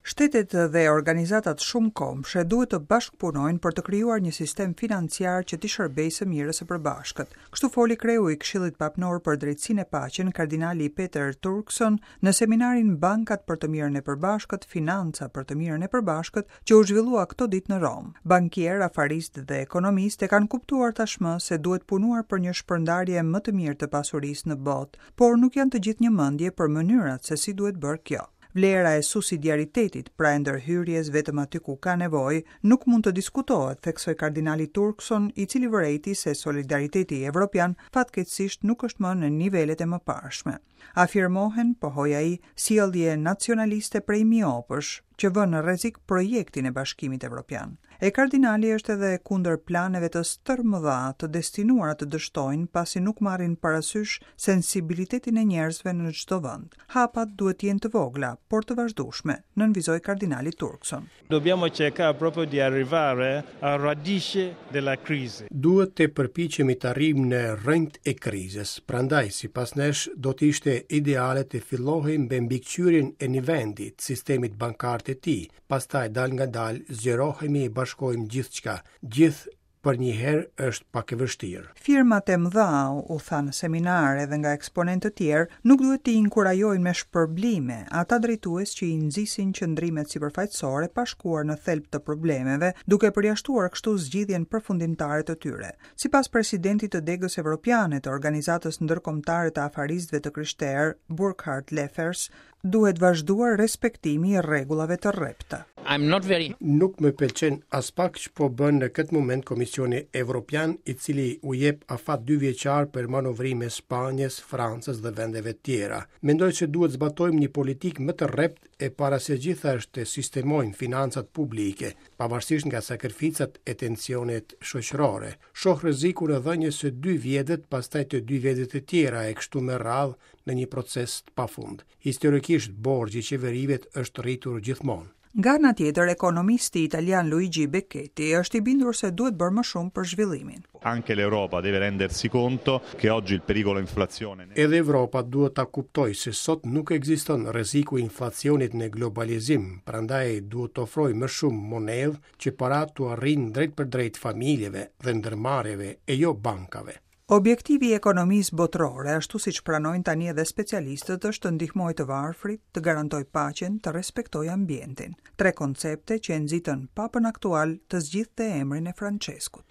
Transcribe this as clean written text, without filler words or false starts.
Shtetet dhe organizatat shumëkombëshe duhet të bashkëpunojnë për të krijuar një sistem financiar që t'i shërbejë së mirës së përbashkët. Kështu foli kreu i Këshillit Papnor për Drejtësinë e Paqen, kardinali Peter Turkson, në seminarin Bankat për të mirën e përbashkët, Financa për të mirën e përbashkët, që u zhvillua këto ditë në Romë. Bankierë, afaristë dhe ekonomistë e kanë kuptuar tashmë se duhet punuar për një shpërndarje më të mirë të pasurisë në botë, por nuk janë të gjithë një mendje për mënyrat se si duhet bërë kjo. Vlera e subsidiaritetit, pra e ndërhyrjes vetëm aty ku ka nevojë, nuk mund të diskutohet, theksoi kardinali Turkson, i cili vërejti se solidariteti evropian fatkeqësisht nuk është më në nivelet e mëparshme. Afirmohen, pohoi ai, sjellje nacionaliste prej miopësh, që vënë në rrezik projektin e Bashkimit Evropian. E kardinali është edhe kundër planeve të stërmëdha të destinuara të dështojnë pasi nuk marrin parasysh sensibilitetin e njerëzve në çdo vend. Hapat duhet të jenë të vogla, por të vazhdueshme, nënvizoi kardinali Turkson. Dobbiamo cercare proprio di arrivare alla radice della crisi. Duhet të përpiqemi të arrijmë në rrënjët e krizës. Prandaj, sipas nesh, do të ishte ideale të fillohej me mbikëqyrjen e një vendi, të sistemit bankar të tij, pastaj dalëngadalë zgjerohemi e bashkojmë gjithçka, gjithë përnjëherë është pak e vështirë. Firmat e mëdha, u tha në seminar edhe nga eksponentë të tjerë, nuk duhet t'i inkurajojnë me shpërblime ata drejtues që i nxisin qëndrimet sipërfaqësore pa shkuar në thelb të problemeve, duke përjashtuar kështu zgjidhjen përfundimtare të tyre. Sipas presidentit të Degës Evropiane të Organizatës Ndërkombëtare të Afaristëve të Krishterë, Burkhard Leffers, Duhet vazhduar respektimi i rregullave të rrepta. I'm not very. Nuk më pëlqen aspak ç'po bën në këtë moment Komisioni Evropian, i cili u jep afat dyvjeçar për manovrime Spanjës, Francës dhe vendeve të tjera. Mendoj se duhet zbatojmë një politikë më të rreptë e para së gjithash të sistemojmë financat publike, pavarësisht nga sakrificat e tensionet shoqërore. Shoh rrezikun e dhënies së dy vjetët, pastaj të dy vjetëve të tjera e kështu me radhë në një proces të pafund. Historikisht borxhi i qeverive është rritur gjithmonë. Nga ana tjetër, ekonomisti italian Luigi Becchetti është i bindur se duhet bërë më shumë për zhvillimin. Anche l'Europa deve rendersi conto che oggi il pericolo inflazione. Edhe Evropa duhet ta kuptojë se sot nuk ekziston rreziku i inflacionit në globalizim, prandaj duhet të ofrojë më shumë monedhë që paratë t'u arrijnë drejtpërdrejt familjeve dhe ndërmarrjeve e jo bankave. Objektivi i ekonomisë botërore, ashtu siç pranojnë tani edhe specialistët, është të ndihmojë të varfrit, të garantojë paqen, të respektojë ambientin. Tre koncepte që e nxitën Papën aktual të zgjidhte emrin e Françeskut.